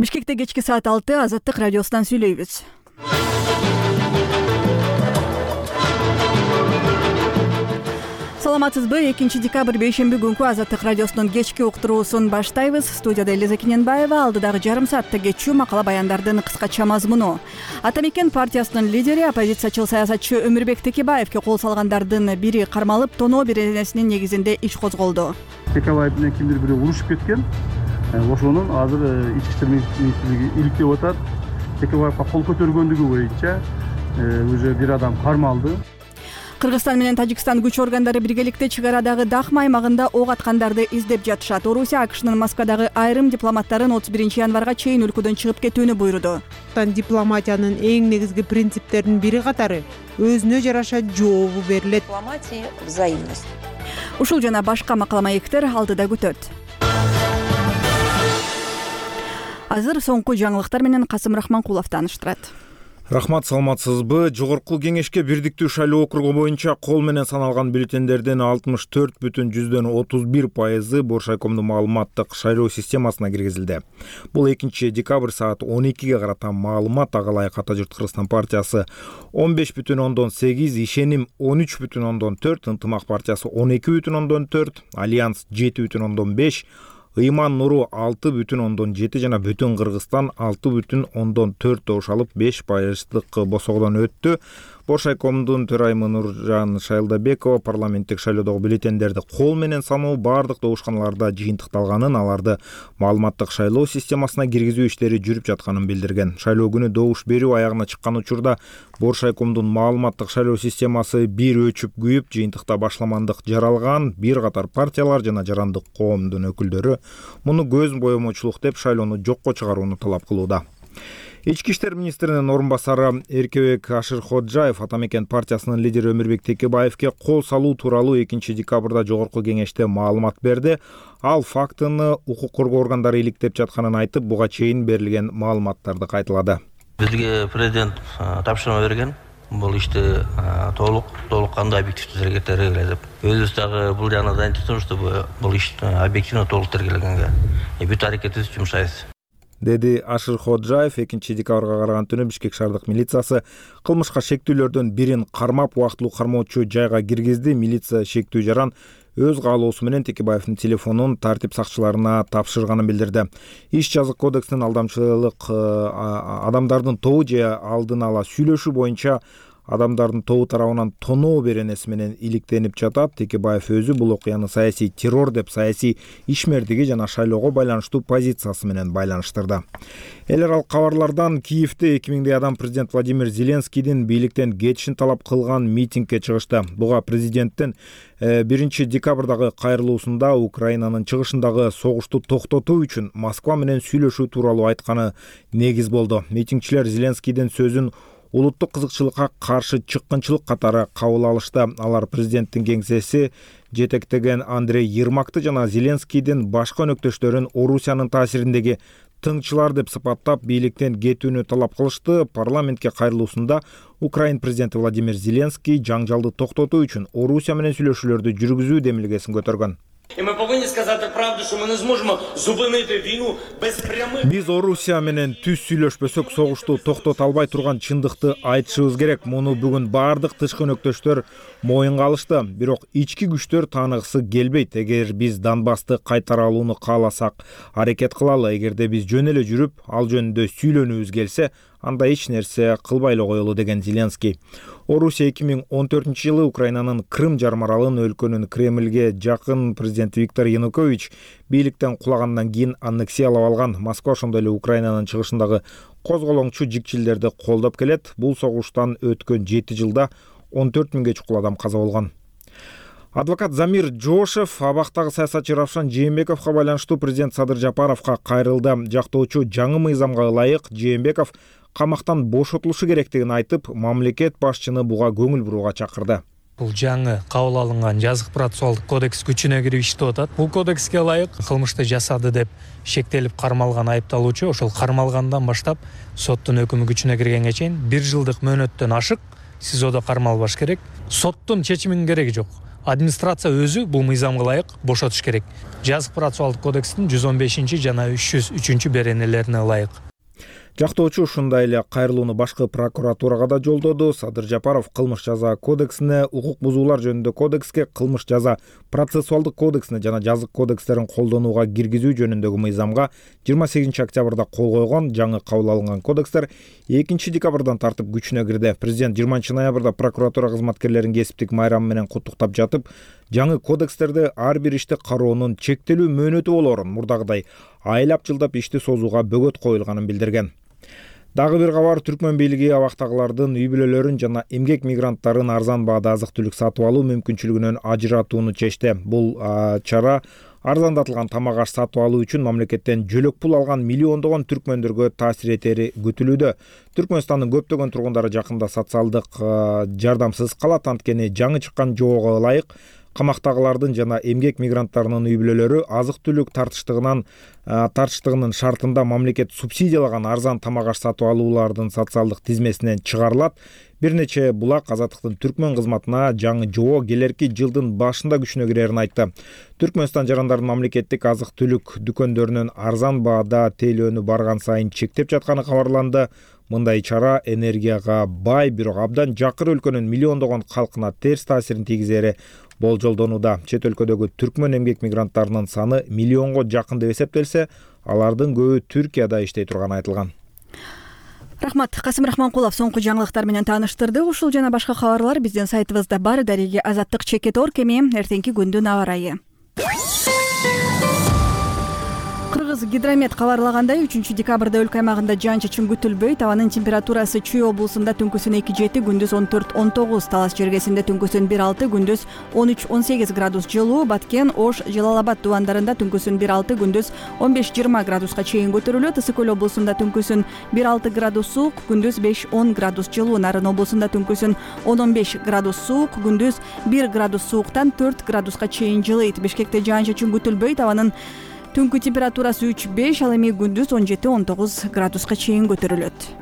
Бишкекте кечки саат 6 Азаттык радиосунан сүйлөйбүз. Саламатсызбы? 2-декабрь бейшемби күнкү Азаттык радиосунун кечки уктуруусун баштайбыз. Студияда Элиза Кененбаева, алдыдагы жарым саатта кечүү макала баяндардын кыскача мазмуну. Ата Мекен партиясынын лидери, оппозициячыл саясатчы Өмүрбек Текебаевге кол салгандардын бири кармалып, тоноо беренесинин негизинде иш козголду. Текебаев менен кимдир бирөө урушуп кеткен. Ошонун азыр ички иштер министрлиги иликтеп атат. Текебаевга кол көтөргөндүгү боюнча уже бир адам кармалды. Кыргызстан менен Тажикстан күч органдары биргеликте чек арадагы Дахма аймагында ок аткандарды издеп жатышат. Орусия АКШнын Москвадагы айрым дипломаттарын 31-январга чейин өлкөдөн чыгып кетүүнү буйруду. Дипломатиянын эң негизги принциптеринин бири катары өзүнө жараша жообу берилет. Дипломатия — взаимность. Ушул жана башка макала маектер алдыда күтөт. Азыр соңку жаңылыктар менен Касым Рахманкулов тааныштырат. Рахмат, саламатсызбы? Жогорку кеңешке бирдиктүү шайлоо округу боюнча кол менен саналган бюллетендердин 64,31% Боршайкомдун маалыматтык шайлоо системасына киргизилди. Бул 2-декабрь саат 12ге карата маалымат. Ага ылайык Ата журт Кыргызстан партиясы 15,8, Ишеним 13,4, Ынтымак партиясы 12,4, Альянс 7,5, Ыйман Нуру 6,7 жана Бүтүн Кыргызстан 6,4 добуш алып 5% босогодон өттү. Боршайкомдун төрайымы Нуржан Шайлдабекова парламенттик шайлоодогу бюллетендерди кол менен саноо бардык добушканаларда жыйынтыкталганын, аларды маалыматтык шайлоо системасына киргизүү иштери жүрүп жатканын билдирген. Шайлоо күнү добуш берүү аягына чыккан учурда Боршайкомдун маалыматтык шайлоо системасы бир өчүп күйүп, жыйынтыкта башламандык жаралган. Бир катар партиялар жана жарандык коомдун өкүлдөрү муну көз боемочулук деп шайлоону жокко чыгарууну талап кылууда. Ички иштер министринин орун басары Эркебек Ашырходжаев Ата Мекен партиясынын лидери Өмүрбек Текебаевге кол салуу тууралуу 2-декабрда жогорку кеңеште маалымат берди. Ал фактыны укук коргоо органдары иликтеп жатканын айтып, буга чейин берилген маалыматтарды кайталады. Бизге президент тапшырма берген. Бул ишти толук кандай объективдүү тергөө деп. Өзүбүз дагы бул жана заинтересованы, чтобы бул иш объективно толук тергелгенге бүт аракетибизди жумшайбыз, деди Ашырходжаев. 2-декабрга караган түнү Бишкек шаардык милициясы кылмышка шектүүлөрдөн бирин кармап, убактылуу кармоочу жайга киргизди. Милиция шектүү жаран өз каалоосу менен Текебаевдин телефонун тартип сакчыларына тапшырганын билдирди. Иш жазык кодексинин алдамчылык адамдардын тобу же алдын ала сүйлөшүү боюнча адамдардын тобу тарабынан тоноо беренеси менен иликтенип жатат. Текебаев өзү бул окуяны саясий террор деп, саясий ишмердиги жана шайлоого байланыштуу позициясы менен байланыштырды. Эл аралык кабарлардан Киевде 2000 адам президент Владимир Зеленскийдин бийликтен кетишин талап кылган митингге чыгышты. Буга президенттин 1-декабрдагы кайрылуусунда Украинанын чыгышындагы согушту токтотуу үчүн Москва менен сүйлөшүү тууралуу айтканы негиз болду. Митингчилер Зеленскийдин сөзүн улуттук кызыкчылыкка каршы чыккынчылык катары кабыл алышты. Алар президенттин кеңсеси жетектеген Андрей Ермакты жана Зеленскийдин башка өнөктөштөрүн Орусиянын таасириндеги тыңчылар деп сыпаттап бийликтен кетүүнү талап кылышты. Парламентке кайрылуусунда Украин президенти Владимир Зеленский жаңжалды токтотуу үчүн Орусия менен сүйлөшүүлөрдү жүргүзүү демилгесин көтөргөн. Биз Орусия менен түз сүйлөшпөсөк согушту токтото албай турган чындыкты айтышыбыз керек. Муну бүгүн бардык тышкы өнөктөштөр моюнга алышты. Бирок ички күчтөр тааныгысы келбейт. Эгер биз Донбассты кайтара алууну кааласак, аракет кылалы. Эгерде биз жөн эле жүрүп, ал жөнүндө сүйлөнүүбүз келсе, анда эч нерсе кылбай эле коелу, деген Зеленский. Орусия 2014-жылы Украинанын Крым жарым аралын өлкөнүн Кремльге жакын президенти Виктор Янукович бийликтен кулагандан кийин аннексиялап алган. Москва ошондой эле Украинанын чыгышындагы козголоңчу жикчилдерди колдоп келет. Бул согуштан өткөн 7 жылда 14 миңге чукул адам каза болгон. Адвокат Замир Жошев абактагы саясатчы Равшан Жээнбековго байланыштуу президент Садыр Жапаровго кайрылды. Жактоочу жаңы мыйзамга ылайык Жээнбеков камактан бошотулушу керектигин айтып, мамлекет башчыны буга көңүл бурууга чакырды. Бул жаңы кабыл алынган жазык процессуалдык кодекс күчүнө кирип иштеп атат. Бул кодекске ылайык кылмышты жасады деп шектелип кармалган айыпталуучу ошол кармалгандан баштап соттун өкүмү күчүнө киргенге чейин 1 жылдык мөөнөттөн ашык СИЗОдо кармалбаш керек. Соттун чечиминин кереги жок. администрация өзү бул мыйзамга ылайык бошотуш керек. Жазык процессуалдык кодекстин 115 жана 303 беренелерине ылайык. Жактоочу ушундай эле кайрылууну башкы прокуратурага да жолдоду. Садыр Жапаров кылмыш жаза кодексине, укук бузуулар жөнүндө кодекске, кылмыш жаза процессуалдык кодексине жана жазык кодекстерин колдонууга киргизүү жөнүндөгү мыйзамга 28 октябрда кол койгон. Жаңы кабыл алынган кодекстер 2 декабрдан тартып күчүнө кирди. Президент 20 ноябрда прокуратура кызматкерлерин кесиптик майрамы менен куттуктап жатып, жаңы кодекстерде ар бир ишти кароонун чектелүү мөөнөтү болоорун, мурдагыдай айлап жылдап ишти созууга бөгөт коюлганын билдирген. Дагы бир кабар, Түркмөн бийлиги абактагылардын үй бүлөлөрүн жана эмгек мигранттарын арзан баада азык-түлүк сатып алуу мүмкүнчүлүгүнөн ажыратууну чечти. Бул чара арзандатылган тамак аш сатып алуу үчүн мамлекеттен жөлөк пул алган миллиондогон түркмөндөргө таасир этери күтүлүүдө. Түркмөнстандын көптөгөн тургундары жакында социалдык жардамсыз калат, анткени жаңы чыккан жоого ылайык камактагылардын жана эмгек мигранттарынын үй бүлөлөрү азык-түлүк тартыштыгынын шартында мамлекет субсидиялаган арзан тамак аш сатып алуулардын социалдык тизмесинен чыгарылат. Бир нече булак Азаттыктын Түркмөн кызматына жаңы жоо келерки жылдын башында күчүнө кирерин айтты. Түркмөнстан жарандардын мамлекеттик азык-түлүк дүкөндөрүнөн арзан баада тейлөөнү барган сайын чектеп жатканы кабарланды. Мындай чара энергияга бай, бирок абдан жакыр өлкөнүн миллиондогон калкына терс таасирин тийгизери болжолдонууда. Чет өлкөдөгү түркмөн эмгек мигранттарынын саны миллионго жакын деп эсептелсе, алардын көбү Түркияда иштей турганы айтылган. Рахмат. Касым Рахманкулов соңку жаңылыктар менен тааныштырды. Ушул жана башка кабарлар биздин сайтыбызда бар. Дареги Азаттык Чекет.org эми эртеңки күндүн аба ырайы. Кыргыз гидромет кабарлагандай 3 декабрда өлкө аймагында жаан-чачын күтүлбөйт. Абанын температурасы Чүй облусунда түнкүсүн 2-7, күндүз 14-19, Талас жергесинде түнкүсүн 1-6, күндүз 13-18 градус жылуу, Баткен, Ош, Жалал-Абад дубандарында түнкүсүн 1-6, күндүз 15-20 градуска чейин көтөрүлөт. Ысык көл облусунда түнкүсүн 1-6 градус суук, күндүз 5-10 градус жылуу, Нарын облусунда түнкүсүн 10-15 градус суук, күндүз 1 градус сууктан 4 градуска чейин жылыйт. Бишкекте жаан-чачын күтүлбөйт. Абанын түнкү температурасы 3-5, ал эми күндүз 17-19 градуска чейин көтөрүлөт.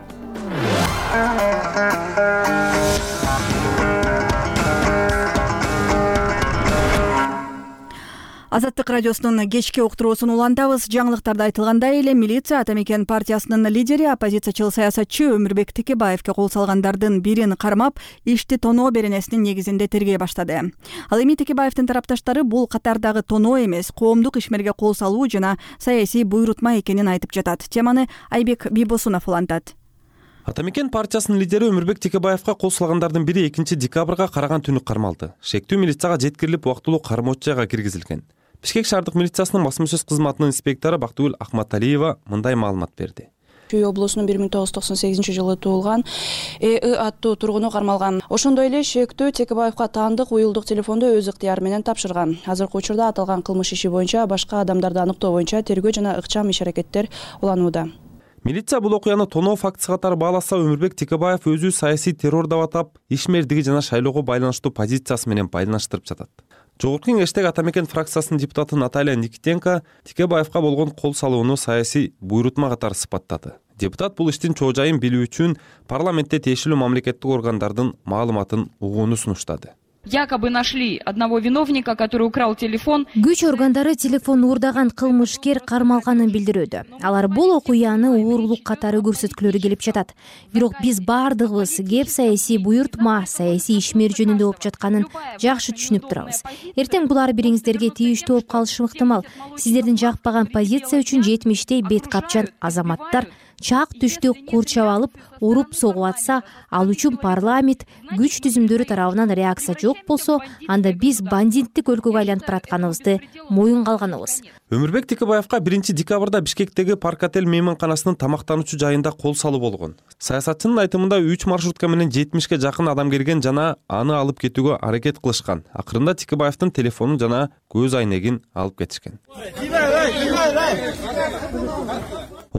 Азаттык радиосунун кечки уктуруусун улантабыз. Жаңылыктарда айтылгандай эле милиция Ата Мекен партиясынын лидери, оппозициячыл саясатчы Өмүрбек Текебаевке кол салгандардын бирин кармап, ишти тоноо беренесинин негизинде тергей баштады. Ал эми Текебаевдин тарапташтары бул катардагы тоноо эмес, коомдук ишмерге кол салуу жана саясий буйрутма экенин айтып жатат. Теманы Айбек Бийбосунов улантат. Ата Мекен партиясынын лидери Өмүрбек Текебаевка кол салгандардын бири 2 декабрга караган түнү кармалды. Шектүү милицияга жеткирилип, убактылуу кармоочу жайга киргизилген. Бишкек шаардык милициясынын басма-сөз кызматынын инспектору Бактыгүл Акматалиева мындай маалымат берди. Чүй облусунун 1998-жылы туулган ЭИ аттуу тургуну кармалган. Ошондой эле шектүү Текебаевка таандык уюлдук телефонду өз ыктыяры менен тапшырган. Азыркы учурда аталган кылмыш иши боюнча башка адамдарды аныктоо боюнча тергөө жана ыкчам иш-аракеттер уланууда. Милиция бул окуяны тоноо фактысы катары бааласа, Өмүрбек Текебаев өзү саясий террор деп атап, ишмердиги жана шайлоого байланыштуу позициясы менен байланыштырып жатат. Жогорку кеңештеги Ата Мекен фракциясынын депутаты Наталья Никитенко Текебаевка болгон кол салууну саясий буйрутма катары сыпаттады. Депутат бул иштин чоо жайын билүү үчүн парламентте тиешелүү мамлекеттик органдардын маалыматын угууну сунуштады. Якобы нашли одного виновника, который украл телефон. Күч органдары телефон уурдаган кылмышкер кармалганын билдирүүдө. Алар бул окуяны уурулук катары көрсөткүлөрү келип жатат. Бирок биз бардыгыбыз кеп саясий буйрутма, саясий ишмер жөнүндө болуп жатканын жакшы түшүнүп турабыз. Эртең булар бириңиздерге тийиштүү болуп калышы ыктымал. Сиздердин жакпаган позиция үчүн жетмиштей бет капчан азаматтар чак түштү курчап алып, уруп согуп атса, ал үчүн парламент күч түзүмдөрү тарабынан реакция жок болсо, анда биз бандиттик өлкөгө айланып баратканыбызды моюнга алганыбыз. Өмүрбек Текебаевка 1 декабрда Бишкектеги Парк-отель мейманканасынын тамактануучу жайында кол салуу болгон. Саясатчынын айтымында 3 маршрутка менен 70ке жакын адам келген жана аны алып кетүүгө аракет кылышкан. Акырында Текебаевдин телефонун жана көз айнегин алып кетишкен.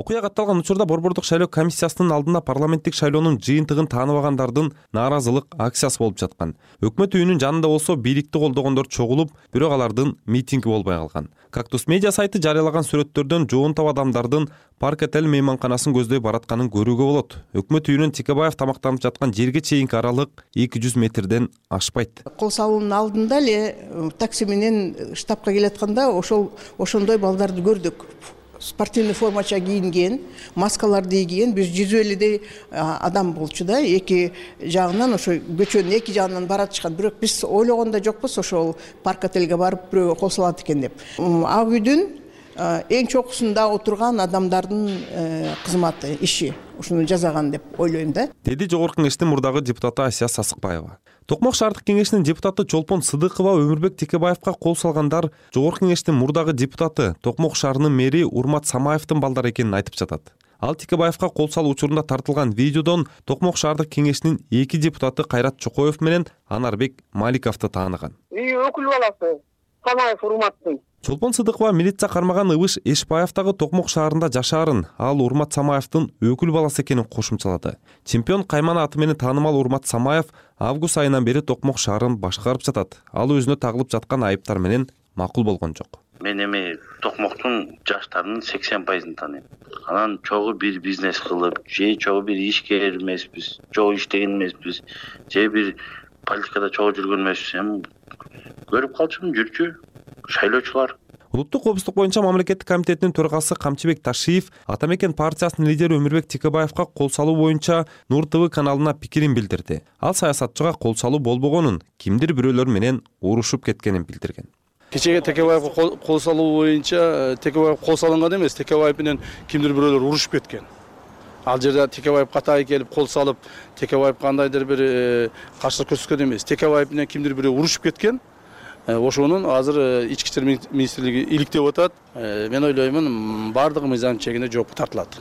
окуя катталган учурда Борбордук шайлоо комиссиясынын алдында парламенттик шайлоонун жыйынтыгын тааныбагандардын нааразылык акциясы болуп жаткан. Өкмөт үйүнүн жанында болсо бийликти колдогондор чогулуп, бирок алардын митинги болбой калган. Кактус медиа сайты жарыялаган сүрөттөрдөн жоонтоп адамдардын Парк отель мейманканасын көздөй баратканын көрүүгө болот. Өкмөт үйүнүн Текебаев тамактанып жаткан жерге чейинки аралык 200 метрден ашпайт. Кол салуунун алдында эле такси менен штабка келатканда ошондой балдарды көрдүк. Спортивный формача кийинген, маскаларды кийген, биз 150 адам болчу да, эки жагынан ошо көчөнүн эки жагынан баратышкан. Бирок биз ойлогондо жокпуз ошол парк отельге барып бирөө кол салат экен деп. Ак үйдүн эң чокусунда отурган адамдардын кызматы, иши ушуну жасаган деп ойлойм да. Деди Жогорку Кеңештин мурдагы депутаты Асия Сасыкбаева. Токмок шаардык кеңешинин депутаты Чолпон Сыдыкова Өмүрбек Текебаевка кол салгандар Жогорку Кеңештин мурдагы депутаты Токмок шаарынын мэри Урмат Самаевдин балдары экенин айтып жатат. Ал Текебаевка кол салуу учурунда тартылган видеодон Токмок шаардык кеңешинин 2 депутаты Кайрат Чокоев менен Анарбек Маликовду тааныган. Өкүл баласы Самаев Урматтын. Чолпон Сыдыкова милиция кармаган Ыбыш Эшбаевдагы Токмок шаарында жашаарын, ал Урмат Самаевдин өкүл баласы экенин кошумчалады. Чемпион Каймана аты менен таанымал Урмат Самаев август айынан бери Токмок шаарын башкарып жатат. Ал өзүнө тагылып жаткан айыптар менен макул болгон жок. Мен эми Токмоктун жаштарынын 80% тааныйм. Анан чогуу бир бизнес кылып, же чогуу бир ишкер эмеспиз, чогуу иштеген эмеспиз, же бир политикада чогуу жүргөн эмеспиз. Эми көрүп калчумун, жүрчү шайлоочулар. Улуттук коопсуздук боюнча мамлекеттик комитетинин төрагасы Камчыбек Ташиев Атамекен партиясынын лидери Өмүрбек Текебаевка кол салуу боюнча Нур ТВ каналына пикирин билдирди. Ал саясатчыга кол салуу болбогонун, кимдир бирөөлөр менен урушуп кеткенин билдирген. Кечеге Текебаевка кол салуу боюнча Текебаев кол салынган эмес, Текебаев менен кимдир бирөөлөр урушуп кеткен. Ал жерде Текебаев катайы келип кол салып, Текебаев кандайдыр бир каршылык көрсөткөн эмес. Текебаев менен кимдир бирөө урушуп кеткен. Ошонун азыр ички иштер министрлиги иликтеп атат. Мен ойлоймун, бардыгы мыйзам чегинде жоопко тартылат.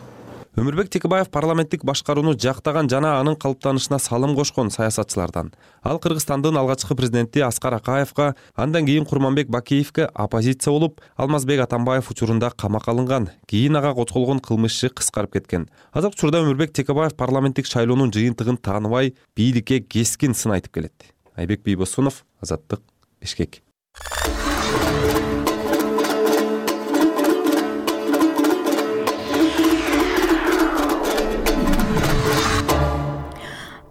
Өмүрбек Текебаев парламенттик башкарууну жактаган жана анын калыптанышына салым кошкон саясатчылардан. Ал Кыргызстандын алгачкы президенти Аскар Акаевка, андан кийин Курманбек Бакиевке оппозиция болуп, Алмазбек Атамбаев учурунда камакка алынган. Кийин ага козголгон кылмыш иши кыскарып кеткен. Азыркы учурда Өмүрбек Текебаев парламенттик шайлоонун жыйынтыгын тааныбай, бийликке кескин сын айтып келет. Айбек Бийбосунов, Азаттык, Бишкек.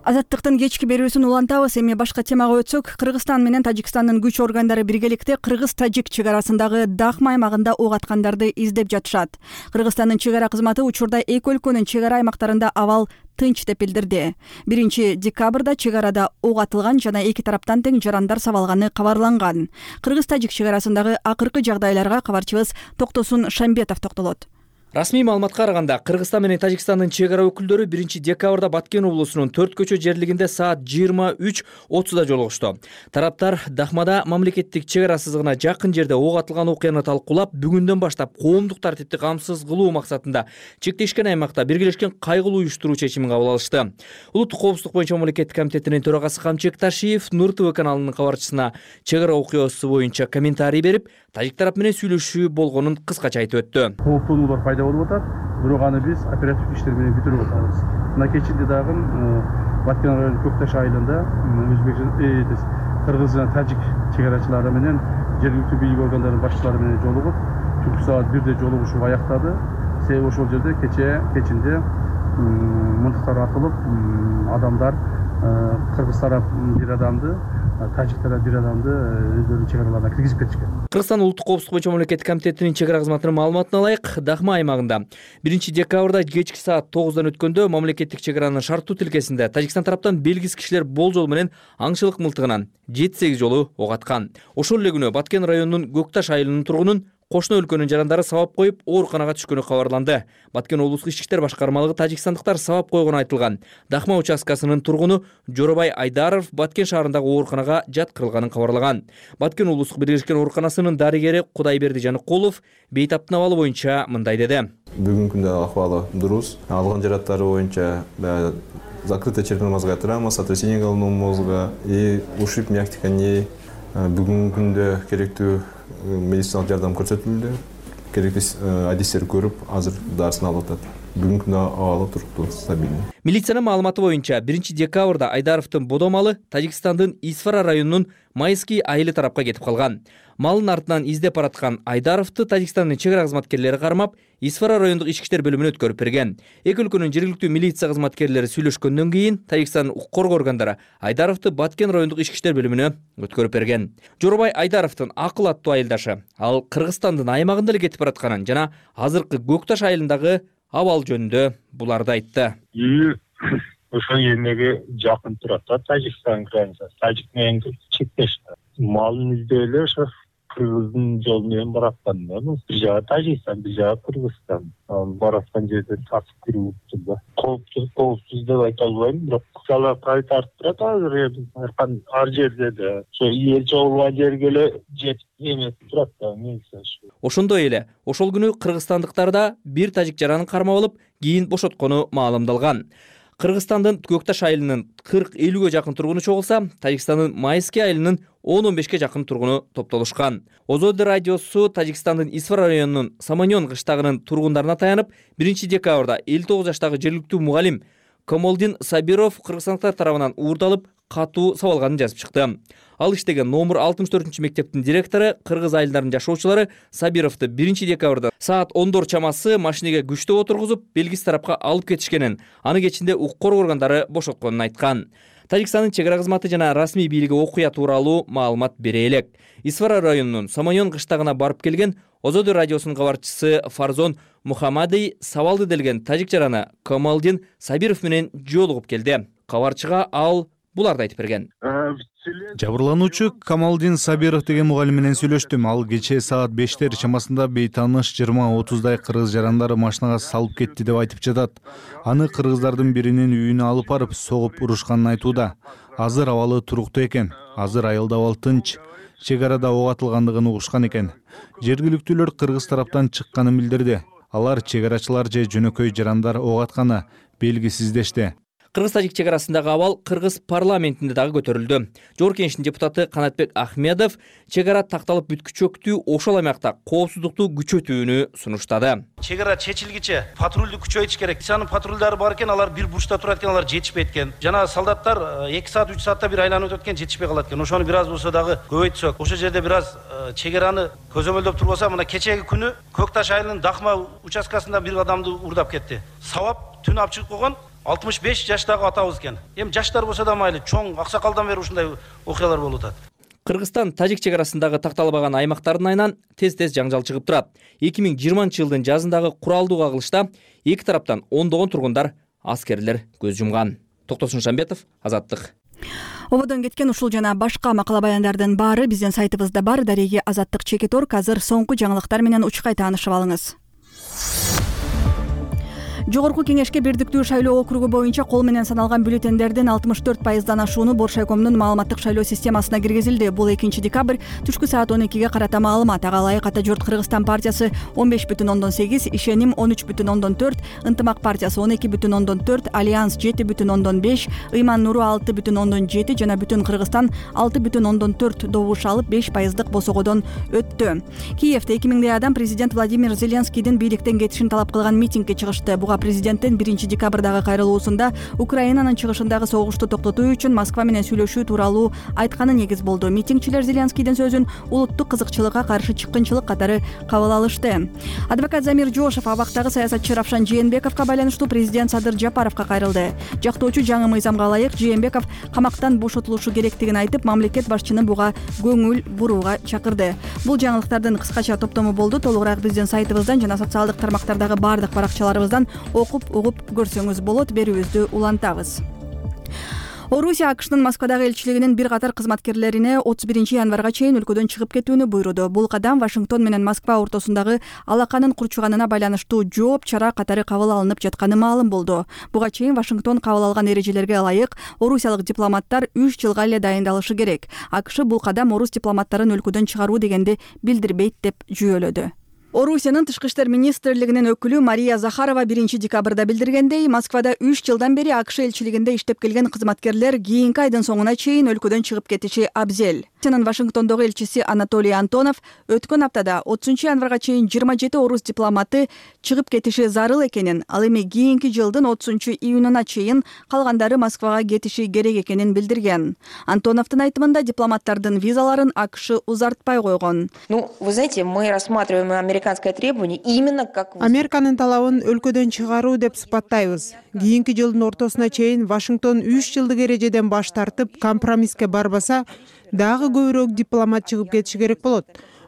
Азаттыктын кечки берүүсүн улантабыз. Эми башка темага өтсөк, Кыргызстан менен Тажикстандын күч органдары биргеликте Кыргыз-Тажик чек арасындагы Дахма аймагында ок аткандарды издеп жатышат. Кыргызстандын чек ара кызматы учурда эки өлкөнүн чек ара аймактарында абал тынч деп билдирди. 1-декабрда чек арада ок атылган жана эки тараптан тең жарандар сабалганы кабарланган. Кыргыз-Тажик чек арасындагы акыркы жагдайларга кабарчыбыз Токтосун Шамбетов токтолот. Расмий маалыматка караганда, Кыргызстан менен Тажикстандын чек ара өкүлдөрү 1-декабрда Баткен облусунун 4 көчө жерлигинде саат 23:30 жолугушту. Тараптар Дахмада мамлекеттик чек ара сызыгына жакын жерде ок атылган окуяны талкуулап, бүгүндөн баштап коомдук тартипти камсыз кылуу максатында чектешкен аймакта биргелешкен кайгылуу уюштуруу чечимин кабыл алышты. Улуттук коопсуздук боюнча мамлекеттик комитетинин төрагасы Камчыбек Ташиев Нур ТВ каналынын кабарчысына чек ара окуясы боюнча комментарий берип, тажик тарап менен сүйлөшүү болгонун кыскача айтып өттү. Пайда болуп атат, бирок аны биз оперативдик иштер менен бүтүрүп атабыз. Мына кечинде дагы Баткен районунун Көкташ айылында Кыргыз жана Тажик чек арачылары менен жергиликтүү бийлик органдарынын башчылары менен жолугуп, түнкү саат 1-де жолугушуу аяктады. Себеби ошол жерде кечинде мынтыктар атылып, адамдар Кыргыз тарап бир адамды, Тажик тарап бир адамды өздөрүнүн чек араларына киргизип кетишкен. Кыргызстан улуттук коопсуздук боюнча мамлекеттик комитетинин чек ара кызматынын маалыматына ылайык, Дахма аймагында 1-декабрда кечки саат 9-дан өткөндө мамлекеттик чек аранын шарттуу тилкесинде Тажикстан тараптан белгисиз кишилер болжол менен аңчылык мылтыгынан 7-8 жолу ок аткан. Ошол эле күнү Баткен районунун Көкташ айылынын тургунун кошуна өлкөнүн жарандары сабап коюп, ооруканага түшкөнү кабарланды. Баткен облустук ички иштер башкармалыгы тажикстандыктар сабап койгону айтылган. Дахма участкасынын тургуну Жоробай Айдаров Баткен шаарындагы ооруканага жаткырылганын кабарлаган. Баткен облустук биргелешкен ооруканасынын дарыгери Кудайберди Жаныкулов бейтаптын абалы боюнча мындай деди. Бүгүнкү күндө акыбалы дурус. Алган жараттары боюнча закрытая черепно-мозговая травма, сотрясение головного мозга и ушиб мягких тканей. Бүгүнкү күндө керектүү медициналык жардам көрсөтүлдү. керектүү адистерди көрүп азыр дарысын алып атат. Бүгүнкү күндө абалы туруктуу, стабилдүү. Милициянын маалыматы боюнча 1 декабрда Айдаровдун бодомалы Тажикстандын Исфара районунун Майский айылы тарапка кетип калган. Малын артынан издеп бараткан Айдаровду Тажикстандын чек ара кызматкерлери кармап, Исфара райондук ички иштер бөлүмүнө өткөрүп берген. Эки өлкөнүн жергиликтүү милиция кызматкерлери сүйлөшкөндөн кийин Тажикстандын укук коргоо органдары Айдаровду Баткен райондук ички иштер бөлүмүнө өткөрүп берген. Жоробай Айдаровдун акыл аттуу айылдашы ал Кыргызстандын аймагында эле кетип баратканын жана азыркы Көкташ айылындагы абал жөнүндө буларды айтты. Ошол эмеге жакын турат да, Тажикстан границасы. Тажик менен чектеш. Малын издеп эле ошо Кыргыздын жолу менен бараткан да. Бир жагы Тажикстан, бир жагы Кыргызстан. Бараткан жерден тасып кирип турду. Коопсуз деп айта албайм, бирок калап кайтарып турат азыр ар жерде да. Ошо эл чогулган жерге эле жетип эметип турат да, милиция. Ошондой эле ошол күнү кыргызстандыктар да бир тажик жаранын кармап алып, кийин бошоткону маалымдалган. Кыргызстандын Көкташ айылынын 40-50ге жакын тургуну чогулса, Тажикстандын Майский айылынын 10-15ге жакын тургуну топтолушкан. Озоди радиосу Тажикстандын Исфара районунун Саманьон кыштагынын тургундарына таянып, 1 декабрда 59 жаштагы жергиликтүү мугалим Камолдин Сабиров кыргызстандыктар тарабынан уурдалып, катуу сабалганын жазып чыкты. Ал иштеген номер 64 мектептин директору кыргыз айылдарынын жашоочулары Сабировду 1 декабрда саат 10 чамасы машинеге күчтөп отургузуп, белгисиз тарапка алып кетишкенин, аны кечинде укук коргоо органдары бошотконун айткан. Тажикстандын чек ара кызматы жана расмий бийлиги окуя тууралуу маалымат бере элек. Исфара районунун Саманьон кыштагына барып келген Озоди радиосунун кабарчысы Фарзон Мухаммадый сабалды делген тажик жараны Камалдин Сабиров менен жолугуп келди. Кабарчыга ал буларды айтып берген. Жабырлануучу Камалдин Сабиров деген мугалим менен сүйлөштүм. Ал кечээ саат 5 чамасында бейтааныш 20-30 кыргыз жарандары машинага салып кетти деп айтып жатат. Аны кыргыздардын биринин үйүнө алып барып согуп урушканын айтууда. Азыр абалы туруктуу экен. Азыр айылда абал тынч. Чек арада ок атылгандыгын угушкан экен. Жергиликтүүлөр кыргыз тараптан чыкканын билдирди. Алар чек арачылар же жөнөкөй жарандар ок атканы белгисиздешти. Кыргыз-тажик чек арасындагы абал кыргыз парламентинде дагы көтөрүлдү. Жогорку Кеңештин депутаты Канатбек Ахмедов чек ара такталып бүткүчөктүү ошол аймакта коопсуздукту күчөтүүнү сунуштады. Чек ара чечилгиче патрулду күчөйтүш керек. Милициянын патрулдары бар экен, алар бир бурчта турат экен, алар жетишпейт экен. Жана солдаттар 2 саат 3 саатта бир айланып өтөт экен, жетишпей калат экен. Ошону бир аз болсо дагы көбөйтсөк, ошол жерде бир аз чек араны көзөмөлдөп турбаса, мына кечеги күнү Көкташ айылынын Дахма участкасында бир адамды уурдап кетти. Сабап түн алып чыгып койгон 65 жаштагы атабыз экен. Эми жаштар болсо да майлы, чоң аксакалдан бери ушундай окуялар болуп атат. Кыргызстан тажик чек арасындагы такталбаган аймактардын айынан тез-тез жаңжал чыгып турат. 2020-жылдын жазындагы куралдуу кагылышта эки тараптан ондогон тургундар, аскерлер көз жумган. Токтосун Шамбетов, Азаттык. Ободон кеткен ушул жана башка макала баяндардын баары биздин сайтыбызда бар. Дареги Азаттык.org. Азыр соңку жаңылыктар менен учкай таанышып алыңыз. Жогорку Кеңешке бирдиктүү шайлоо округу боюнча кол менен саналган бюллетендердин 64% ашууну Боршайкомдун маалыматтык шайлоо системасына киргизилди. Бул 2 декабрь түшкү саат 12ге карата маалымат. Ага ылайык Ата журт Кыргызстан партиясы 15,8, Ишеним 13,4, Ынтымак партиясы 12,4, Альянс 7,5, Ыйман Нуру 6,7 жана Бүтүн Кыргызстан 6,4 добуш алып 5%дык босогодон өттү. Киевде 2000 адам президент Владимир Зеленскийдин бийликтен кетишин талап кылган митингге чыгышты. Буга президенттин 1 декабрдагы кайрылуусунда Украинанын чыгышындагы согушту токтотуу үчүн Москва менен сүйлөшүү тууралуу айтканы негиз болду. Митингчилер Зеленскийдин сөзүн улуттук кызыкчылыкка каршы чыккынчылык катары кабыл алышты. Адвокат Замир Жошов абактагы саясатчы Равшан Жээнбековго байланыштуу президент Садыр Жапаровго кайрылды. Жактоочу жаңы мыйзамга ылайык Жээнбеков камактан бошотулушу керектигин айтып, мамлекет башчыны буга көңүл бурууга чакырды. Бул жаңылыктардын кыскача топтому болду. Толугураак биздин сайтыбыздан жана социалдык тармактардагы бардык баракчаларыбыздан окуп угуп көрсөңүз болот. Берүүбүздү улантабыз. Орусия АКШнын Москвадагы элчилигинин бир катар кызматкерлерине 31 январга чейин өлкөдөн чыгып кетүүнү буйруду. Бул кадам Вашингтон менен Москва ортосундагы алаканын курчуганына байланыштуу жооп чара катары кабыл алынып жатканы маалым болду. Буга чейин Вашингтон кабыл алган эрежелерге ылайык орусиялык дипломаттар 3 жылга эле дайындалышы керек. АКШ бул кадам орус дипломаттарын өлкөдөн чыгаруу дегенди билдирбейт деп жүйөлөдү. Орусиянын тышкы иштер министрлигинин өкүлү Мария Захарова 1 декабрда билдиргендей, Москвада 3 жылдан бери АКШ элчилигинде иштеп келген кызматкерлер кийинки айдын соңуна чейин өлкөдөн чыгып кетиши абзел. Вашингтондогу элчиси Анатолий Антонов өткөн аптада 30-январга чейин 27 орус дипломаты чыгып кетиши зарыл экенин, ал эми кийинки жылдын 30-июнуна чейин калгандары Москвага кетиши керек экенин билдирген. Антоновдун айтымында дипломаттардын визаларын АКШ узартпай койгон. Вы знаете, мы рассматриваем американское требование именно как... Американын талабын өлкөдөн чыгаруу деп сыпаттайбыз. Кийинки жылдын ортосуна чейин Вашингтон 3 жылдык эрежеден баш тартып компромисске барбаса, дагы көбүрөөк дипломат чыгып кетиши керек болот.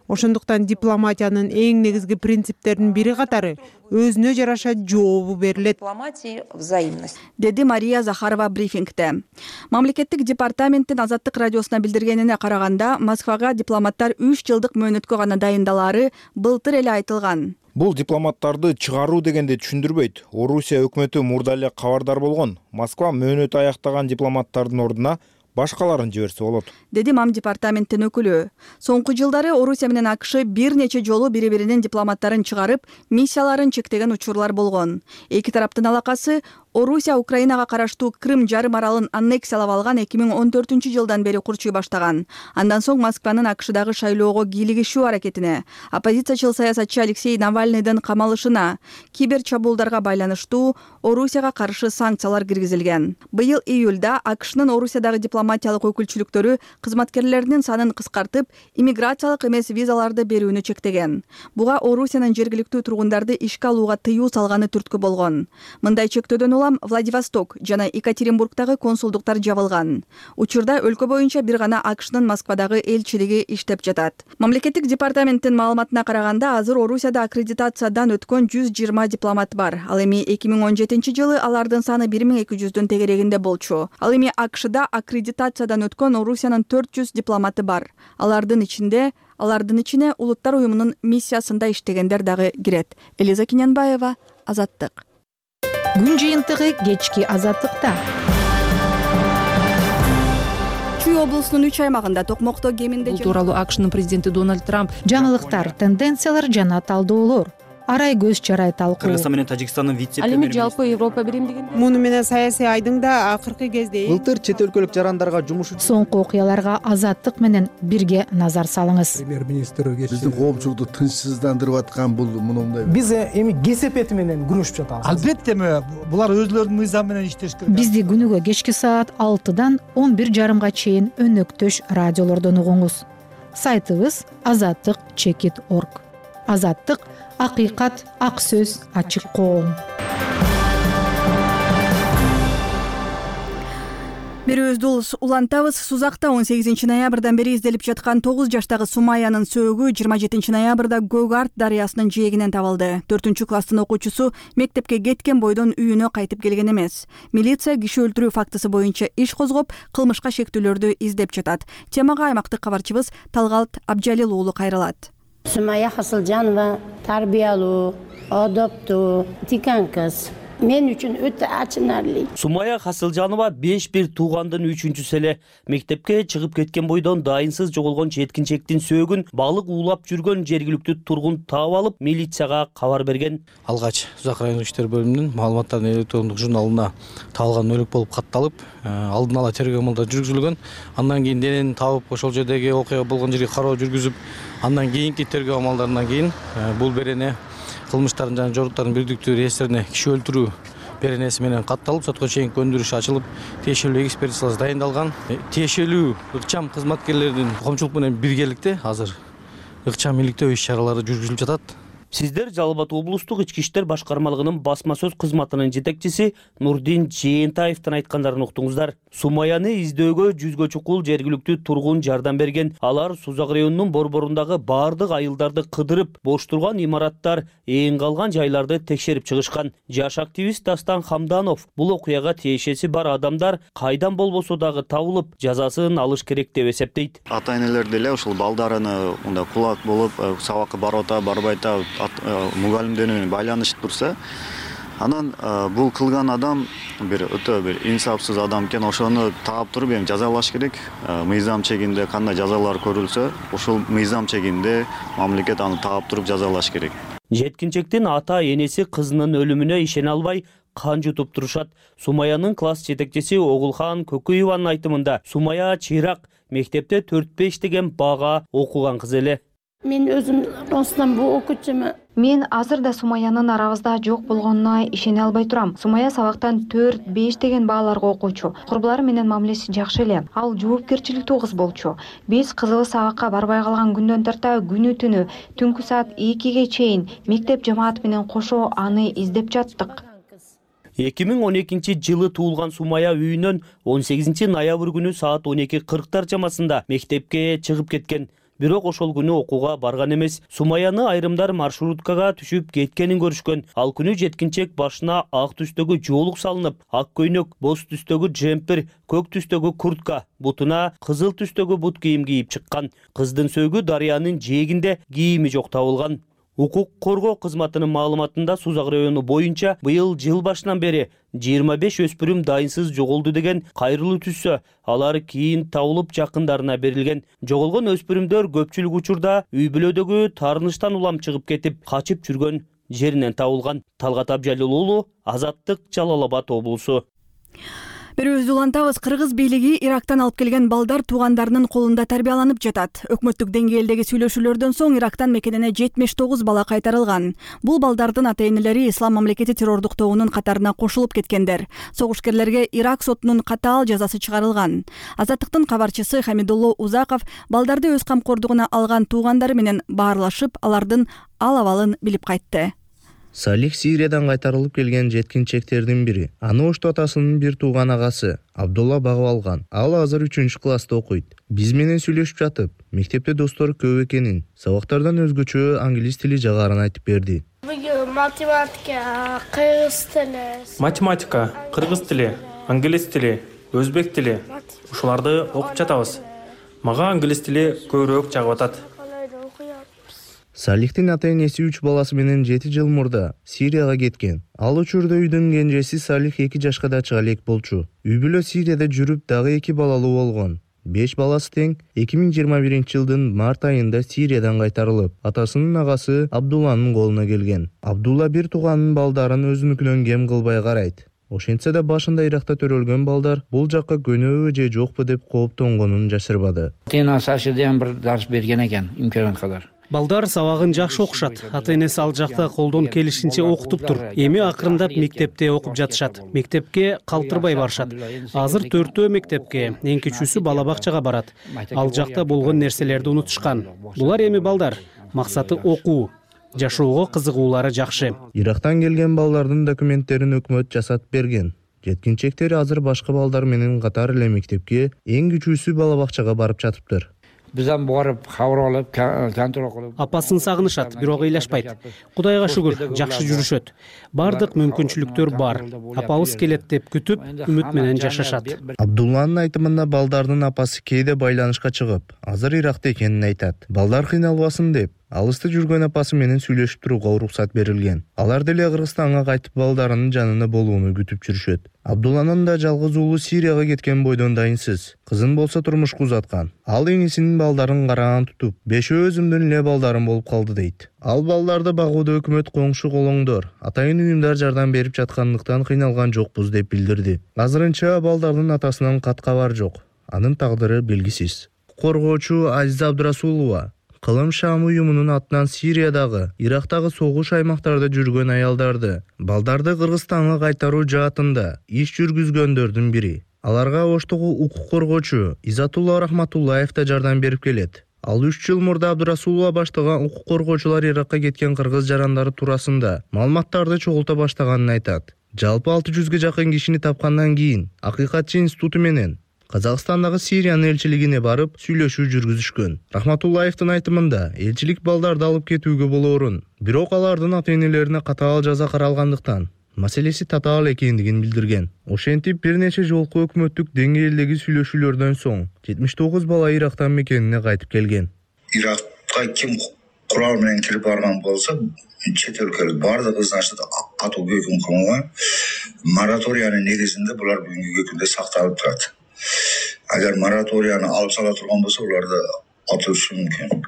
Ошондуктан дипломатиянын эң негизги принциптеринин бири катары өзүнө жараша жообу берилет. Дипломатия взаимность. Деди Мария Захарова брифингде. Мамлекеттик департаменттин Азаттык радиосуна билдиргенине караганда, Москвага дипломаттар 3 жылдык мөөнөткө гана дайындалары былтыр эле айтылган. Бул дипломаттарды чыгаруу дегенди түшүндүрбөйт. Орусия өкмөтү мурда эле кабардар болгон. Москва мөөнөт аяктаган дипломаттардын ордуна башкаларын жиберсе болот, деди МАМ департаменттин өкүлү. Соңку жылдары Орусия менен АКШ бир нече жолу бири-биринин дипломаттарын чыгарып, миссияларын чектеген учурлар болгон. Эки тараптын алакасы Орусия Украинага караштуу Крым жарым аралын аннексиялап алган 2014-жылдан бери курчуй баштаган. Андан соң Москванын АКШдагы шайлоого кийлигишүү аракетине, оппозициячыл саясатчы Алексей Навальныйдын камалышына, кибер чабуулдарга байланыштуу Орусияга каршы санкциялар киргизилген. Быйыл июлда АКШнын Орусиядагы дипломатиялык өкүлчүлүктөрү кызматкерлеринин санын кыскартып, иммиграциялык эмес визаларды берүүнү чектеген. Буга Орусиянын жергиликтүү тургундарды ишке алууга тыюу салганы түрткү болгон. Мындай чектөөдөн улам Владивосток жана Екатеринбургдагы консулдуктар жабылган. Учурда өлкө боюнча бир гана АКШнын Москвадагы элчилиги иштеп жатат. Мамлекеттик департаменттин маалыматына караганда, азыр Орусияда аккредитациядан өткөн 120 дипломат бар. Ал эми 2017-жылы алардын саны 1200-дүн тегерегинде болчу. Ал эми АКШда аккредитациядан өткөн Орусиянын 400 дипломаты бар. Алардын ичине Улуттар уюмунун миссиясында иштегендер дагы кирет. Элиза Киненбаева, Азаттык. Күн жыйынтыгы кечки Азаттыкта. Чүй облусунун 3 аймагында токмокто кеминде бул тууралуу АКШнын президенти Дональд Трамп жаңылыктар, тенденциялар жана талдоолор, арай көз чарай талкуу. Кыргызстан менен Тажикстандын ал эми жалпы Европа биримдиги Муну менен саясий айдыңда акыркы кезде былтыр чет өлкөлүк жарандарга жумуш соңку окуяларга Азаттык менен бирге назар салыңыз. Премьер-министр биздин коомчулукту тынчсыздандырып аткан бул мындай. Биз эми кесепети менен күрөшүп жатабыз. Албетте булар өзлөрүнүн мыйзам менен иштеш керек. Бизди күнүгө кечки саат 6-дан 11:30 чейин өнөктөш радиолордон угуңуз. Сайтыбыз azattik.org. Азаттык — акыйкат, ак сөз, ачык коом. Берүүбүздү улантабыз. Сузакта 18 ноябрдан бери изделип жаткан 9 жаштагы Сумаянын сөөгү 27 ноябрда Көк Арт дарыясынын жээгинен табылды. 4-класстын окуучусу мектепке кеткен бойдон үйүнө кайтып келген эмес. Милиция киши өлтүрүү фактысы боюнча иш козгоп, кылмышка шектүүлөрдү издеп жатат. Темага аймактык кабарчыбыз Талгалт Абжалил уулу кайрылат. Сумая Хасылжанова тарбиялуу, адоптуу, тикан кыз. Мен үчүн өтө ачынарлуу. Сумая Хасылжанова 5-1 туугандын 3-чүсү эле. Мектепке чыгып кеткен бойдон дайынсыз жоголгон жеткинчектин сөөгүн балык уулап жүргөн жергиликтүү тургун таап алып, милицияга кабар берген. Алгач Сузак райондук иштер бөлүмүнүн маалыматтарын электрондук журналына табылган өлүк болуп катталып, алдын ала тергөө амалдары жүргүзүлгөн. Андан кийин денени табып, ошол жердеги окуя болгон жерге кароо жүргүзүп, андан кийинки тергөө амалдарынан кийин бул берене кылмыштардын жана жоруктардын бирдиктүү реестрине киши өлтүрүү беренеси менен катталып, сотко чейинки өндүрүш ачылып, тиешелүү экспертизасы дайындалган. Тиешелүү ыкчам кызматкерлердин коомчулук менен биргеликте азыр ыкчам иликтөө иш-чаралары жүргүзүлүп жатат. Сиздер Жалал Абад облустук ички иштер башкармалыгынын басма сөз кызматынын жетекчиси Нурдин Жээнтаевдин айткандарын уктуңуздар. Сумаяны издөөгө 100гө чукул жергиликтүү тургун жардам берген. Алар Сузак районунун борборундагы бардык айылдарды кыдырып, бош турган имараттар, эң калган жайларды текшерип чыгышкан. Жаш активист Дастан Хамданов бул окуяга тиешеси бар адамдар кайдан болбосо дагы табылып, жазасын алыш керек деп эсептейт. Ата-энелер деле ушул балдарыны мындай кулак болуп, сабакка барып ата, барбай ата мугалимдер менен байланышып турса, анан бул кылган адам өтө бир инсапсыз адам экен, ошону таап туруп эми жазалаш керек. Мыйзам чегинде кандай жазалар көрүлсө, ошол мыйзам чегинде мамлекет аны таап туруп жазалаш керек. Жеткинчектин ата энеси кызынын өлүмүнө ишене албай, кан жутуп турушат. Сумаянын класс жетекчиси Огулхан Көкөеванын айтымында Сумая чыйрак мектепте 4-5 деген бага окуган кыз эле. Мен өзүм ростан бул окуучумун. Мен азыр да Сумаянын арабызда жок болгонуна ишене албай турам. Сумая сабактан 4-5 деген бааларга окуучу. Курбулары менен мамилеси жакшы эле. Ал жоопкерчиликтүү кыз болчу. Биз кызыбыз сабакка барбай калган күндөн тарта күнү түнү түнкү саат 2ге чейин мектеп жамааты менен кошо аны издеп жаттык. 2012-жылы туулган Сумая үйүнөн 18 ноябрь күнү саат 12:40 чамасында мектепке чыгып кеткен. Бирок ошол күнү окууга барган эмес. Сумаяны айрымдар маршруткага түшүп кеткенин көрүшкөн. Ал күнү жеткинчек башына ак түстөгү жоолук салынып, ак көйнөк, боз түстөгү джемпер, көк түстөгү куртка, бутуна кызыл түстөгү бут кийим кийип чыккан. Кыздын сөөгү дарыянын жээгинде, кийими жок табылган. Укук коргоо кызматынын маалыматында Сузак району боюнча быйыл жыл башынан бери 25 өспүрүм дайынсыз жоголду деген кайрылуу түшсө, алар кийин табылып жакындарына берилген. Жоголгон өспүрүмдөр көпчүлүк учурда үй бүлөдөгү таарынычтан улам чыгып кетип, качып жүргөн жеринен табылган. Талгат Абжалил уулу, Азаттык, Жалал Абад облусу. Берүүбүздү улантабыз. Кыргыз бийлиги Ирактан алып келген балдар туугандарынын колунда тарбияланып жатат. Өкмөттүк деңгээлдеги сүйлөшүүлөрдөн соң Ирактан мекенине 79 бала кайтарылган. Бул балдардын ата-энелери Ислам мамлекети террордук тобунун катарына кошулуп кеткендер. Согушкерлерге Ирак сотунун катаал жазасы чыгарылган. Азаттыктын кабарчысы Хамидулло Узаков балдарды өз камкордугуна алган туугандары менен баарлашып, алардын ал-абалын билип кайтты. Салих Сириядан кайтарылып келген жеткинчектердин бири. Аны Ошту атасынын бир тууган агасы Абдулла багып алган. Ал азыр 3-класста окуйт. Биз менен сүйлөшүп жатып, мектепте достор көп экенин, сабактардан өзгөчө англис тили жагарын айтып берди. Математика, кыргыз тили, англис тили, өзбек тили. Ушуларды окуп жатабыз. Мага англис тили көбүрөөк жагып атат. Салихтин ата-энеси 3 баласы менен 7 жыл мурда Сирияга кеткен. Ал учурда үйдүн кенжеси Салих 2 жашка да чыга элек болчу. Үй бүлө Сирияда жүрүп дагы 2 балалуу болгон. 5 баласы тең 2021-жылдын март айында Сириядан кайтарылып, атасынын агасы Абдулланын колуна келген. Абдулла бир тууганын балдарын өзүнүкүнөн кем кылбай карайт. Ошентсе да башында Иракта төрөлгөн балдар бул жакка көнөбү же жокпу деп кооптонгонун жашырбады. Тенасашыдан бир дарс берген экен, имкан кадар. Балдар сабагын жакшы окушат. Ата-энеси ал жакта колдон келишинче окутуптур. Эми акырындап мектепте окуп жатышат. Мектепке калтырбай барышат. Азыр 4 мектепке, эң кичүүсү бала бакчага барат. Ал жакта болгон нерселерди унутушкан. Булар эми балдар. Максаты окуу. Жашоого кызыгуулары жакшы. Ирактан келген балдардын документтерин өкмөт жасатып берген. Жеткинчектер азыр башка балдар менен катар эле мектепке, эң кичүүсү бала бакчага барып жатыптыр. Бизден барып кабар алып, контроль кылып. Апасын сагынышат, бирок ыйлашпайт. Кудайга шүгүр, жакшы жүрүшөт. Бардык мүмкүнчүлүктөр бар. Апабыз келет деп күтүп, үмүт менен жашашат. Абдулланын айтымында балдардын апасы кээде байланышка чыгып, азыр Иракта экенин айтат. Балдар кыйналбасын деп, алыста жүргөн апасы менен сүйлөшүп турууга уруксат берилген. Алар деле Кыргызстанга кайтып балдарынын жанында болууну күтүп жүрүшөт. Абдулланын да жалгыз уулу Сирияга кеткен бойдон дайынсыз. Кызын болсо турмушка узаткан. Ал эңисинин балдарын караган тутуп, 5 өзүмдүн эле балдарым болуп калды дейт. Ал балдарды багууда өкмөт коңшу колоңдор, атайын уюмдар жардам берип жаткандыктан кыйналган жокпуз деп билдирди. Азырынча балдардын атасынан кат кабар жок. Анын тагдыры белгисиз. Коргоочу Азиза Абдурасулова Кылым Шам уюмунун атынан Сириядагы, Ирактагы согуш аймактарда жүргөн аялдарды, балдарды Кыргызстанга кайтаруу жаатында иш жүргүзгөндөрдүн бири. Аларга Оштогу укук коргоочу Изатулла Рахматуллаев да жардам берип келет. Ал 3 жыл мурда Абдурасулова баштаган укук коргоочулар Иракка кеткен кыргыз жарандары туурасында маалыматтарды чогулта баштаганын айтат. Жалпы 600ге жакын кишини тапкандан кийин Акыйкатчы институту менен Казакстандагы Сириянын элчилигине барып сүйлөшүү жүргүзүшкөн. Рахматуллаевдин айтымында, элчилик балдарды алып кетүүгө болоорун, бирок алардын ата-энелерине катаал жаза каралгандыктан маселеси татаал экендигин билдирген. Ошентип бир нече жолку өкмөттүк деңгээлдеги сүйлөшүүлөрдөн соң 79 бала Ирактан мекенине кайтып келген. Иракка ким курал менен кирип барган болсо, чет өлкөлүк бардыгы значит катуу өкүм кылынган. Мораториянын негизинде булар бүгүнкү күндө сакталып турат. Agar moratoriyani alып сала турган болсо, уларды атышы мүмкүн.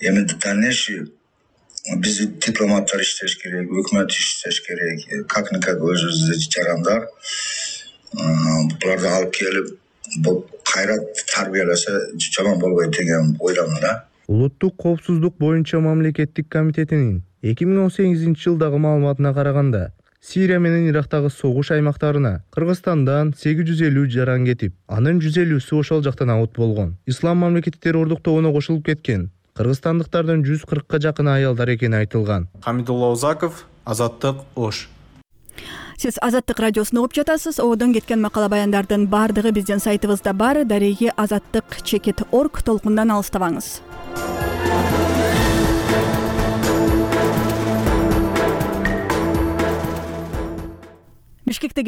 Эми дальнейший биз дипломаттар иштеш керек, өкмөт иштеш керек, как никак өзүбүздө жарандар буларды алып келип бул кайра тарбияласа жаман болбойт деген ойдомун да. Улуттук коопсуздук боюнча мамлекеттик комитетинин 2018-жылдагы маалыматына караганда, Сирия менен Ирактагы согуш аймактарына Кыргызстандан 850 жаран кетип, анын 150сү ошол жактан абут болгон. Ислам мамлекети террордуктоонуна кошулуп кеткен кыргызстандыктардын 140ка жакын аялдар экени айтылган. Хамидулла Узаков, Азаттык, Ош. Сиз Азаттык радиосун угуп жатасыз. Одон кеткен макала баяндардын бардыгы биздин сайтыбызда бар. Дареги azаттык.org толкундан алыстабаңыз. Бишкектеги